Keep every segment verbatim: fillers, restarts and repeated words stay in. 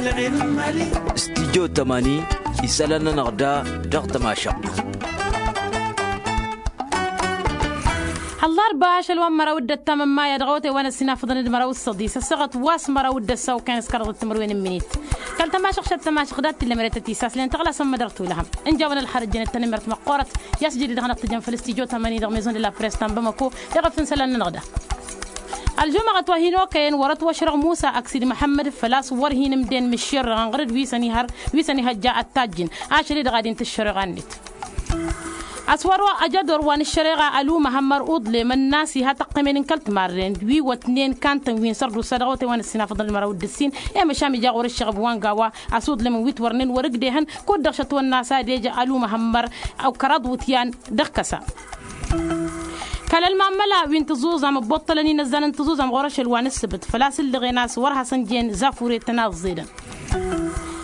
Studyo tămani isălan-nănăɣ da dăɣ-tămašăɣt. Ăllarba ašăl wa n-măraw d-ăttam n-maya dăɣ-awătay wa n-ăssinafăḍăn d-măraw s-săḍis ăssaɣăt wa s-măraw d-ăssaw kăyăn s-kărăḍ d-timǝrwen n-minit. Kăl-tămašăɣt šăt tămašăɣt dat-t illa măret ătisas len tăɣlasăn mădăr tulăhăm. Ǝnjawăn ălxărăt jănet tanămert măqqoorăt i-a-s jădid dăɣ-năɣ tǝjăn făll-studyo tămani dăɣ-maison de la press ta n-bamako. Iɣăf n-isălan-nănăɣ da. Ălžumăɣăt wa hin-okăyăn wăr-ătwăšrăɣ musa ăksidi măḥămmăd făl-a-s wăr hin-ǝmden mǝššerrăɣăn ɣăr-dd wi săn-ihăr wi săn-ihăjja ăttajjǝn. Ašăl-i-dăɣ ad-intǝššăreɣa-net. A-s wăr-wa ăjădor wa n-ǝššăreɣa ălumăhămmăr uḍlem ănnas iha tăqqămen n-kăl-timarren wi wătnen kantăn wi n-sărdusa dăɣ-awătay wa n-ăssinafăḍăn d-măraw d-ǝssin. I-măšan ija ɣur-ǝššăɣăb wa n-gawa a-s uḍlem n-wi t-wărnen wăr-ǝgdehăn kud-dăɣ šăt wănna a-s ad-eja ălumăhămmăr ăw kăraḍ wǝtyan dăɣ-kăsa. Kăl-ălmamăla wi n-tǝẓuẓam ăbboṭṭălăn inăzzan n-tǝẓuẓam ɣur-ašăl wa n-ǝssǝbǝt făl-a-s ǝllăɣen a-s wăr hasăn-jen zafuret tăn-aẓẓedăn.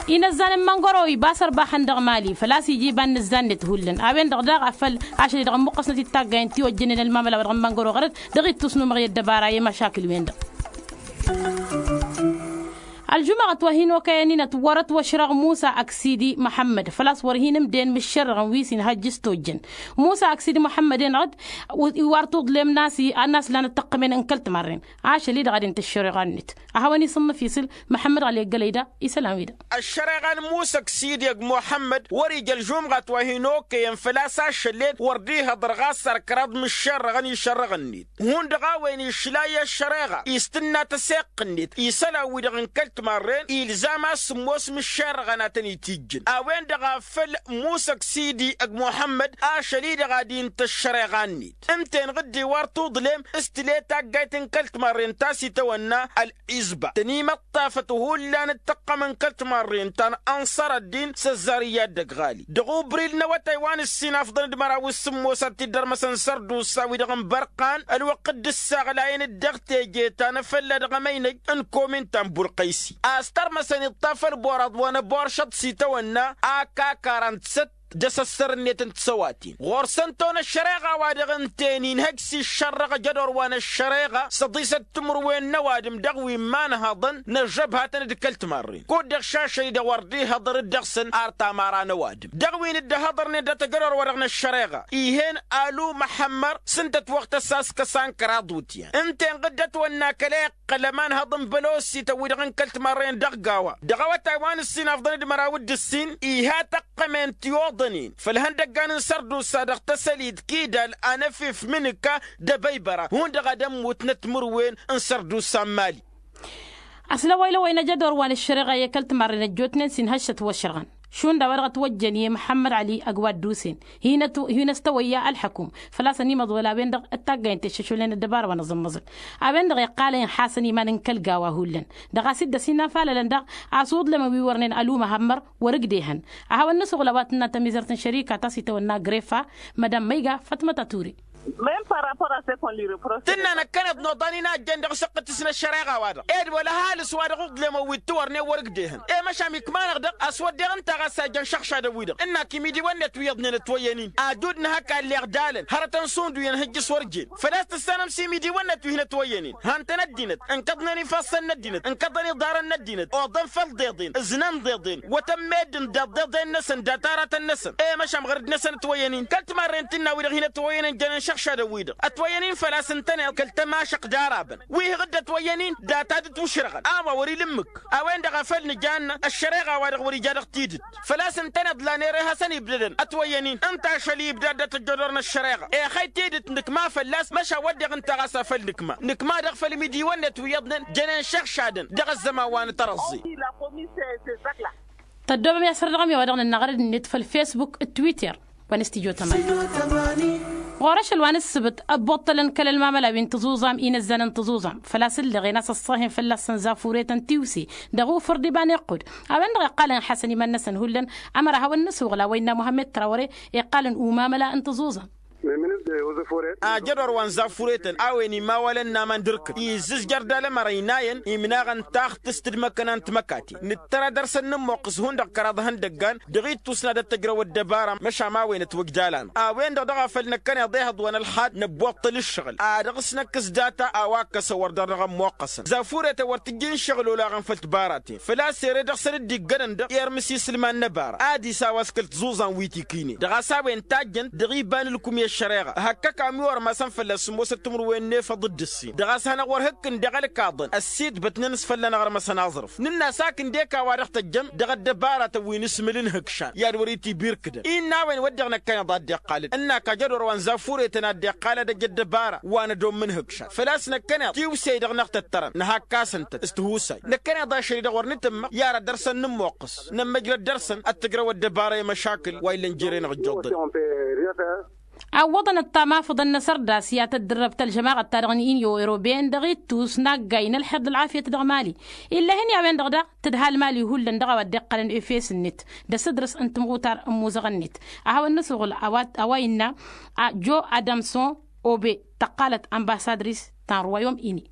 Inăzzan n-măngăro iba s-ărbaxăn dăɣ-mali făl-a-s ija iba n-inăzzan-net hullan a-wen-dăɣ daɣ a făl ašăl-i-dăɣ ămmuqqăsnăt ittaggayen tiwăjjănen ălmamăla wa dăɣ-n măngăro ɣăr-dd dăɣ-ittus n-umăɣ i-ăddăbara i-măšakǝl-wen-dăɣ. Ălžumăɣăt wa hin-okăyăn-inăt wăr-ătwăšrăɣ musa ăksidi măḥămmăd făl-a-s wăr hin-ǝmden mǝššărrăɣăn wi s-inhăjj s-tojjăn. Musa ăksidi măḥămmăd-enăɣ-dd iwar tuḍlem n-a-s lan ăttăqqămen n-kăl-timarren. Ašăl-i-dăɣ ad-intǝššăreɣa-net a hawăn-isǝnnǝf isǝl măḥămmăd ɣăli ăggălăy da isălan-wi-dăɣ. Ăššăreɣa n-musa ăksidi ăgg muḥămmăd wăr-ija ălžumɣat wa hin-okăyăn făl-a-s ašăl-en wăr dd-ihăḍăr ɣas ărkăraḍ mǝššărrăɣăn išărrăɣ-net. Hundăɣ a-wen išla i-ăššăreɣa istǝnna tăseɣt-net isălan-wi-dăɣ n-kăl-timarren ilzam a-s sǝmmos mǝššerrăɣăn ad-tăn-itijjǝn a-wen-dăɣ a făl musa ăksidi ăgg muḥămmăd ašăl-i-dăɣ ad-intăššăreɣa-net. Ǝnta-enăɣ dd-iwar tuḍlem s-tǝle taggayt n-kăl-timarren ta s-itawănna ălɣizba tăn-imăṭṭafăt hullan d-tăqqăm n-kăl-timarren ta n-ănṣăr ăddin s-ăzzar iyyăt dăgg-ɣali dăɣ-ubril n-awătay wa n-ǝssin afḍăn d-măraw s-sǝmmos ad-t-dd-ărmăsăn sărdusa-wi-dăɣ n-bărqan ălwăqq dd-ǝssaɣlayăn-dd dăɣ-teje ta n-afălla dăɣ-emăynăj n-komin ta n-bulqăysi a-s tărmăsăn iṭṭaf ălboraḍ wa n-ăboršăḍ s-itawănna a kakarăn d-săt d-asăssărnet n-tisăwaten ɣur-săn ton ăššăreɣa-wa-dăɣ ǝnta-en inhăj s-iššărrăɣ ăjădor wa n-ăššăreɣa s-ăḍisăt timǝrwen n-ăwadǝm dăɣ-wi n-imanhăḍăn n-ăžžăbhatăn d-kăl-timarren kud-dăɣ šašăy-dăɣ wăr dd-ihăḍăr-dd dăɣ-săn ar tamara n-ăwadǝm dăɣ-wi n-dd-ăhăḍărnen dat-ăjădor-wa-dăɣ n-ăššăreɣa. Ih'-en alu măḥămmăr s-ǝnta ătwăɣtăs a-s kăsa n-kăraḍ wǝtyan ǝnta-en ɣǝddăt wănna kăla iqqăl ămanhăḍ n-bălosităn-wi-dăɣ n-kăl-timarren dăɣ-gawa dăɣ-awătay wa n-ǝssin afḍăn d-măraw d-ǝssin iha tăqqămen tiwăḍănen făll-ihăndăggan n-sărdusa dăɣ-tăsălit kidal anăfif mǝnǝka d-abăybăra hundăɣ ad-ămmutnăt timǝrwen n-sărdusa n-mali. Ăslăwăy-lăwăy n-ajădor wa n-ăššăreɣa i-kăl-timarren ăjjootnen s-inhăššăt wăšrăɣăn šund a-wa dăɣ-ătwăjjăn i-măḥămmăd ăli ăgg wa dd-usen. Hinăt-wăyya ălḥăkum făl-a-s ănimăḍwăl a-wen-dăɣ ăttaggayen teššăšulnen ăddăbara wa n-aẓǝmmăẓǝl a-wen-dăɣ iqqalăyăn xasăn iman n-kăl-gawa hullan. Dăɣ-a-s dd-ăsinafalălăn daɣ a-s uḍlămăn wi wărnen ălumăhămmăr wăr-ǝgdehăn. A hawăn-nǝsuɣǝl a-wa tǝnna tămizărt n-šărika ta s-itawănna grefa mădam măyga fătmăt ature. Tǝnna năkkăneḍ n-oḍan-in a ăjjeen dăɣ-săqqǝtǝs n-ăššăreɣa-wa-dăɣ ed wăla ăhalǝs-wa-dăɣ uḍlemăn wi t-wărnen wăr-ǝgdehăn i-măšan ikma-năɣ-dăɣ a-s wădden ǝnta ɣas a ijăn šăɣšadăn-wi-dăɣ ǝnnak imidiwăn-net wi iyyăḍnen ătwăyyăn-in. Ajud n-hak a ălleɣ dalăn hărătăn šund wi ănhǝjjǝs wăr jen făl-a-s tǝssanăm s-imidiwăn-net wi hin-ătwăyyăn-in hantăn ăddinăt ǝnkăḍnen ifassăn n-ăddinăt ǝnkăḍăn iḍarăn n-ăddinăt oḍăn făll-deḍen ǝznan deḍen. Wătăn meddǝn daḍ deḍen-năsăn datarătăn-năsăn i-măšan ɣărăd-năsăn ătwăyyăn-in kăl-timarren tǝnna-wi-dăɣ hin-ătwăyyăn ănjănen šăɣšadăn-wi-dăɣ ătwăyyăn-in făl-a-s ǝntăneḍ kăl-tămašăq d-arabăn wi hăɣ-dd-ătwăyyăn-in data d-ǝtwǝšrăɣăn a-wa wăr-ila ǝmmǝk. A-wen-dăɣ a făl nǝjannă ăššăreɣa-wa-dăɣ wăr-ija dăɣ-tidǝt făl-a-s ǝntăneḍ la n-ere hasăn-ibdădăn ătwăyyăn-in ǝnta ašăl-i ibdad dat-ăjjoḍor n-ăššăreɣa. Ixăy tidǝt nǝkma fălla-s măšan wădden ǝnta ɣas a făl nǝkma nǝkma-dăɣ făll-imidiwăn-net wi iyyăḍnen jănen šăɣšadăn dăɣ-ăzzăman wa n-tărăẓẓe. Tăddoobăm i-asăr dăɣ-ămi wa dăɣ-nănna ɣărăd-net făll-facebook d-twitter. Wa n-studyo tămani ɣur-ašăl wa n-ǝssǝbǝt ăbbuṭṭălăn kăl-ălmamăla wi n-tăẓuẓam inăzzan n-tăẓuẓam făl-a-s ǝllăɣen a-s ăṣṣăhen fălla-săn zafuret n-tiwse dăɣ-ufǝr d-iba n-iqqud. A-wen-dăɣ iqqalăn xasăn iman-năsăn hullan ămăra hawăn-nǝsuɣǝl a-wa innă muhammed trawăre iqqalăn umamăla n-tăẓuẓam. Ajădor wa n-zafuretăn a-wen imawalăn n-aman d-irkǝt izzǝzjăr d-alămăr ăynayăn imnaɣăn taɣtǝst d-imăkkăna n-timăkaten nǝttăra dăr-săn nǝmmoqqǝs hundăɣ kăraḍ ihăndăggan dăɣ-ittus n-ad-ăttăjrăw ăddăbara măšan a-wen ătwăjdalan a-wen-dăɣ dăɣ-afăl năkkăneḍ ehăḍ wa n-ălxad năbbuṭṭăl ǝššăɣǝl ad-dăɣ-s năkkǝs data a-wa ǝkkăsăn wăr dăr-dăɣ ămmoqqăsăn zafuretăn wăr tǝjjǝy n-iššăɣǝl olaɣăn făll-tibaraten făl-a-s ere dăɣ-săn dd-iggănăn-dăɣ i-ermǝs isǝlman n-ăbara ad-isaw a-s kăl-tiẓuẓa n-wi tikǝynen dăɣ-a-s a-wen tajjăn dăɣ-iba n-ǝlkum i-ăššăreɣa hăkkăk a ămiwărmasăn fălla-s ămoosăt timǝrwen n-efăḍ d-ǝssin dăɣ-a-s hanăɣ-wăr hǝkkǝn deɣ ălkaḍăn ăssiitbătnen s-fălla-năɣ ărmăsăn aẓrǝf nǝnn'-as hak ǝndek a-wa-dăɣ tăjjăm dăɣ-ăddăbaratăn wi n-asmǝl n-ihǝkšan i-ad-wăr-itibirkǝdăn innă a-wen wădden năkkăneḍ a dd-iqqalăn ǝnn'-ak ajădor wa n-zafuretăn a dd-iqqal ad-ăj ăddăbara wa n-ădomm n-ihǝkšan făl-a-s năkkăneḍ tiwsey-dăɣ năɣ-tăttărăn nǝhăkk-asăn-tăt s-tihusay năkkăneḍ ašăl-i-dăɣ wăr nǝtǝmmăɣ i-ara dăr-săn nǝmmoqqăs nămmăjrăd dăr-săn ad-tǝjrăw ăddăbara i-măšakǝl wa illăn jere-năɣ ǝjjuḍăd. Awwăḍăn ăttamafăḍăn n-asărdas i-ad-tăddărrăb tălžămaɣăt-ta-dăɣ n-inyo eroben dăɣ-ittus n-aggay n-ălxer d-ălɣafyăt dăɣ-mali. Ill'-e-hăn i-a-wen-dăɣ daɣ tǝdhal mali hullan dăɣ-a-wa dd-iqqălăn efes-net d-asǝdrǝs n-timɣutar n-imuzăɣăn-net. A hawăn-nǝsuɣǝl a-wa innă jo adamson obe tăqqalăt ănbasadris ta n-ruwayom-ini.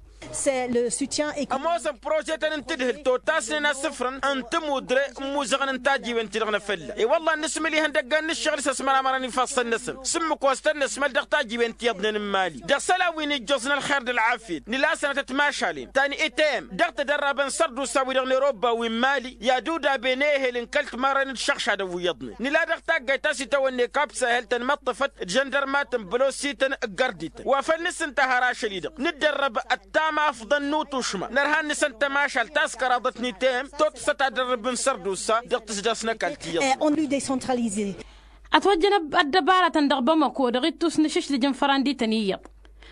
Ămoosăn prožetăn n-tǝdhǝlt otasnen asǝfrăn n-tămudre n-imuzăɣăn n-tajiwen-ti-dăɣ n-afălla i-wălla ad-nǝsmǝl ihăndăggan n-ǝššăɣǝl s-ăsmăramărăn ifassăn-năsăn s-ǝmmǝk wa s-tăn-năsmăl dăɣ-tajiwen ti iyyăḍnen n-imali dăɣ-isălan wi n-ijjoẓ n-ălxer d-ălɣafyăt nǝla sănătăt mašalen ta n-item dăɣ-tădărrabăn sărdusa-wi-dăɣ n-eroba wi n-imali i-ad-udaben ehel n-kăl-timarren d-išăɣšadăn wi iyyăḍnen nǝla dăɣ-taggayt ta s-itawănne kapsa ehel tănmăṭṭăfăt d-žăndărmatăn bălosităn ǝggărdităn wa făl nǝssǝnta har ašăl-i-dăɣ nǝddărrăb ăttamafḍăn n-utušma nărhan nǝsăn tămašalt ta s-kăraḍăt n-item tottǝsăt ad-ărrǝb n-sărdusa dăɣ-tǝsdas n-ăkall ti iyyăḍ. Ătwăjjăn ăddăbaratăn dăɣ-bamăko dăɣ-ittus n-ašǝšdǝj n-fărandităn iyyăḍ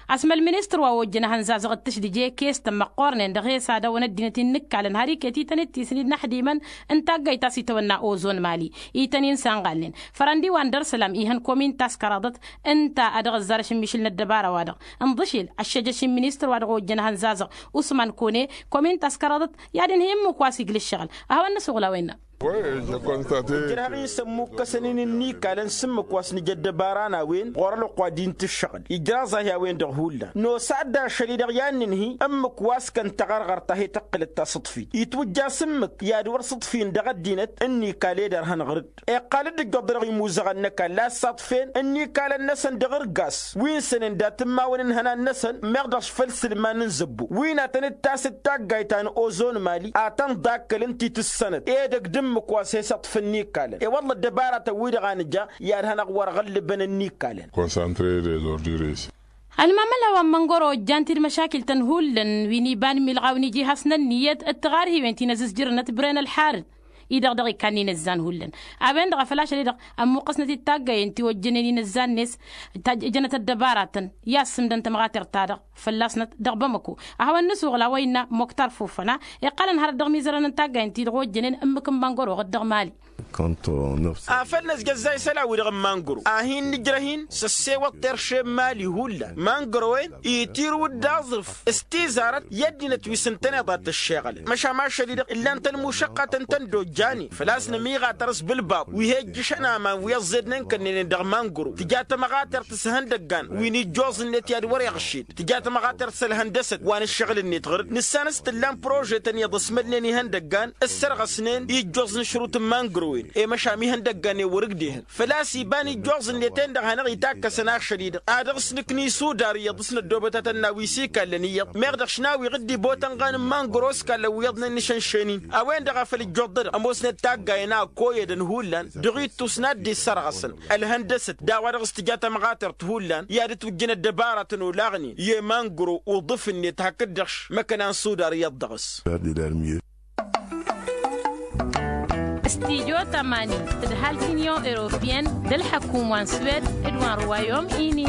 asmăl ministăr wa ojjăn ehăn zazăɣ d-tǝšdǝje kestăn măqqoornen dăɣ-he-s ad-awăn ăddinăt-in n-ǝkkalăn har iket-i tăn-dd-tisnǝy d-inăḥdimăn n-taggayt ta s-itawănna ozon mali ităn-in sanɣalnen fărăndi wa n-dăr-isălam ihăn komin ta s-kăraḍăt ǝnta a dăɣ-ăzzar ašǝmmišǝl n-ăddăbara-wa-dăɣ ǝnḍǝšel ăššăjăš n-ministăr wa dăɣ-ojjăn ehăn zazăɣ usman kone komin ta s-kăraḍăt i-ad-inhǝy ǝmmǝk wa s-iglǝššăɣǝl. A hawăn-nǝsuɣǝl a-wen-năɣ. Ǝjrăhăɣ-in s-ămmukkăsăn-in n-ikalăn s-ǝmmǝk wa s-nǝja ăddăbara n-a-wen ɣur-ălwăqq wa d-intǝššăɣǝl ijraẓ-ahi a-wen-dăɣ hullan nos a dd-ašăl-i-dăɣ i-ad-nǝnhǝy ǝmmǝk wa s-kăn taɣărɣărt ta he-tăqqǝlăt tasǝḍfit itwǝjja s-ǝmmǝk i-ad-wăr sǝḍfin dăɣ-ăddinăt n-ikal ed ărhăn ɣǝr-dd iqqal-dd ǝjjuḍ-dăɣ imuzăɣăn n-ăkall a ǝssaḍfen n-ikalăn-năsăn dăɣ-irgas wi n-sănen dat-immawăn n-ihănan-năsăn meɣ dăɣ-s făll-isǝlman n-zăbbo wi n-ad-tăn-dd tasǝt taggayt ta n-ozon mali ad-tăn-ḍakkălăn ti tǝssănăt edăgg d-ǝmmǝk wa s-he-săḍfăn n-ikalăn i-wălla ăddăbaratăn-wi-dăɣ a nǝja i-ad-hanăɣ-wăr ɣǝllǝbăn n-ikalăn. Ălmamăla wa n-măngoro ojjan-t-dd măšakil-tăn hullan wi n-iba n-imilɣaw n-iji hasnăn n-iyyăt d-tiɣarhiwen ti n-ăzǝzjǝrnăt bren ălḥarǝd-i-dăɣ dăɣ-ikannǝy n-ăzzan hullan. A-wen-dăɣ a făl ašăl-i-dăɣ ămmuqqăsnăt-dd taggay n-tiwăjjănen-i n-ăzzan-net ǝjănăt ăddăbaratăn i-assǝmdăn tămɣatert-ta-dăɣ fălla-snăt dăɣ-bamăko. A hawăn-nǝsuɣǝl a-wa innă moktar fufăna iqqălăn hărăt dăɣ-imizărăn n-taggay n-ti-dăɣ ojjănen ǝmmǝk n-mangăro ɣǝd-dăɣ mali. Afăl năzjăzzay isălan-wi-dăɣ n-mangăro a hin-nǝjrăh-in s-ăssewăḍ terše n-mali hullan mangăro-en itirǝw-dd aẓrǝf s-tizarăt i-ăddinăt wi s-ǝntăneḍ ad-t-ǝššeɣălăn măšan ašăl-i-dăɣ ǝllan-tăn mušăqqatăn tăn-dd-ojjanen făl-a-s nămiɣatăr s-bǝlbaḍ wi he-ǝjjǝšăn aman wi ăẓẓednen kănnăynen dăɣ-mangăro tǝja tămɣatert s-ihăndăggan wi n-ijjoẓ-net i-ad-wăr-iɣšed tǝja tămɣatert s-ălhăndăsăt wa n-ǝššăɣǝl-net ɣǝr-dd nǝssan s-tǝllan prožetăn iyyăḍ ăsmălnen ihăndăggan ǝssărɣăsnen ijjoẓ n-ašrut n-mangăro-en i-măšan ihăndăggan-en wăr-ǝgdehăn făl-a-s iba n-ijjoẓ-net-en-dăɣ hanăɣ-itakkăsăn ašăl-i-dăɣ a dăɣ-s nǝknǝy s-udar iyyăḍ s-năddoobăt ad-tăn-nawǝy s-ikallăn iyyăḍ meɣ dăɣ-š n-a-wi ɣǝdd-ibotăn ɣanǝm mangăro s-kallăn wi iyyăḍnen n-išănšen-in. A-wen-dăɣ a făl ǝjjuḍăd ămoosnet taggayen a ăkkoyădăn hullan dăɣ-ittus n-ad-dd-issărɣăsăn ălhăndăsăt d-a-wa dăɣ-s tǝja tămɣatert hullan i-ad-ǝtwǝjjǝn ăddăbaratăn olaɣnen i-mangăro uḍǝf-net hakd-dăɣ š-măkkăna n-sudar iyyăḍ dăɣ-s. Stijo tămani tǝdhal tinyon europiyăn d-ălḥăkum wa n-swed d-wa n-ruwayom ini.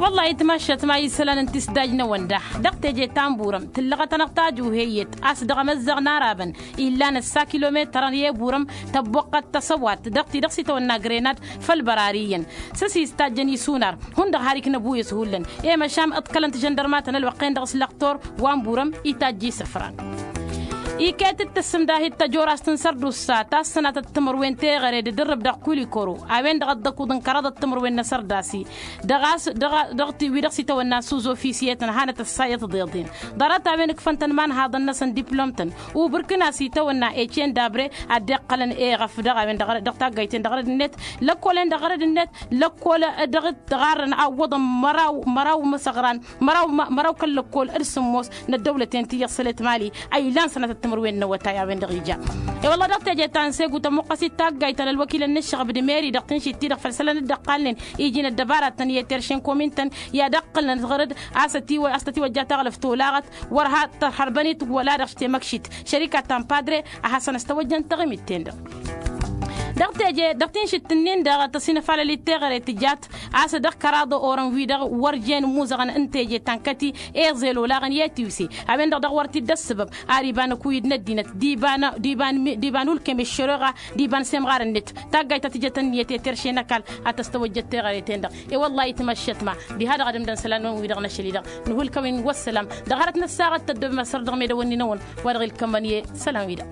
Wăllah itmašat ma isălan n-tisdaj n-awănda dăɣ-teje ta n-burăm tǝllăɣăt-anăɣ tajuheyyăt a-s dăɣ-emăzzăɣ n-arabăn illan ăssa kilometărăn i-burăm tăbboqqăt tăsăwat dăɣ-ti dăɣ-s itawănna grenad făll-bărariyyăn s-ăsistajjăn isunar hundăɣ har iknăbuyăs hullan i-măšan ǝḍkălăn tijăndărmatăn ălwăqq-en-dăɣ s-lăqtor wa n-burăm itajj isăfran. Iket d-tǝssǝmdahit tăjorast n-sărdusa ta s-sănatăt timǝrwen teɣăre d-idǝrrǝb dăɣ-kulikoro a-wen-dăɣ a dd-ăkuḍăn kăraḍăt timǝrwen n-asărdasi dăɣ-a-s dăɣ-wi-dăɣ s-itawănna s-uzofisiyetăn hanăt-ăssayăt d-iḍen ḍarăt-a-wen ǝkfăn-tăn imanhaḍăn-năsăn diplom-tăn. Ubrǝkǝn a-s itawănna ecen dabre ad-dd-iqqălăn eɣăf dăɣ-a-wen-dăɣ dăɣ-taggayt-en dăɣ-rădd-net lăkkolen dăɣ-rădd-net lăkkol dăɣ-t ɣarrăn a ǝwwăḍăn măraw măraw imăsăɣran măraw kăl-lăkkol d-sǝmmos n-ăddăwlăten ti iyyăḍ sălet mali a ilan sănatăt timǝrwen n-awătay a-wen-dăɣ ija. I-wălla dăɣ-teje ta n-segu tămuqqăs-dd taggayt ta n-ălwăkilăn n-ǝššăɣăb d-meri dăɣ-tǝnšit-ti-dăɣ făll-isălan dd-ăqqalnen iji n-ăddăbaratăn i-terše n-komin-tăn i-ad-ăqqǝlnăt ɣur-dd a-s tătiwăjja taɣlăft olaɣăt wăr ha tărhărbăn-it wăla dăɣ-s temăkšit šărika ta n-padre a hasăn-ăstăwăjjăn taɣimit-ten-dăɣ. Dăɣ-teje dăɣ-tinšit-ǝnnin-dăɣ tăsinăfalăl-dd teɣăre tǝjat a-s dăɣ-kăraḍ orăn-wi-dăɣ wăr jen imuzăɣăn n-teje ta n-kăti eẓel olaɣăn i-tiwse a-wen-dăɣ dăɣ-wăr t-dd-ăssăbăb. Ar iba n-ăkuyǝd n-ăddinăt d-iba n-ulkem eššăroɣa d-iba n-semɣar-net taggayt ta tǝjăt ǝnniyăt i-terše n-ăkall a tăstăwăjjăt teɣăre-ten-dăɣ. I-wăllah itmăššătma diha-dăɣ ad-ǝmdăn isălan-năwăn-wi-dăɣ n-ašăl-i-dăɣ. Nuhǝlkăwăn wăssălam dăɣ-hărăt n-ăssaɣăt tăddoobem asărdăɣ medăwăn-nin-awăn wa dăɣ-ilkămmăn i-isălan-wi-dăɣ.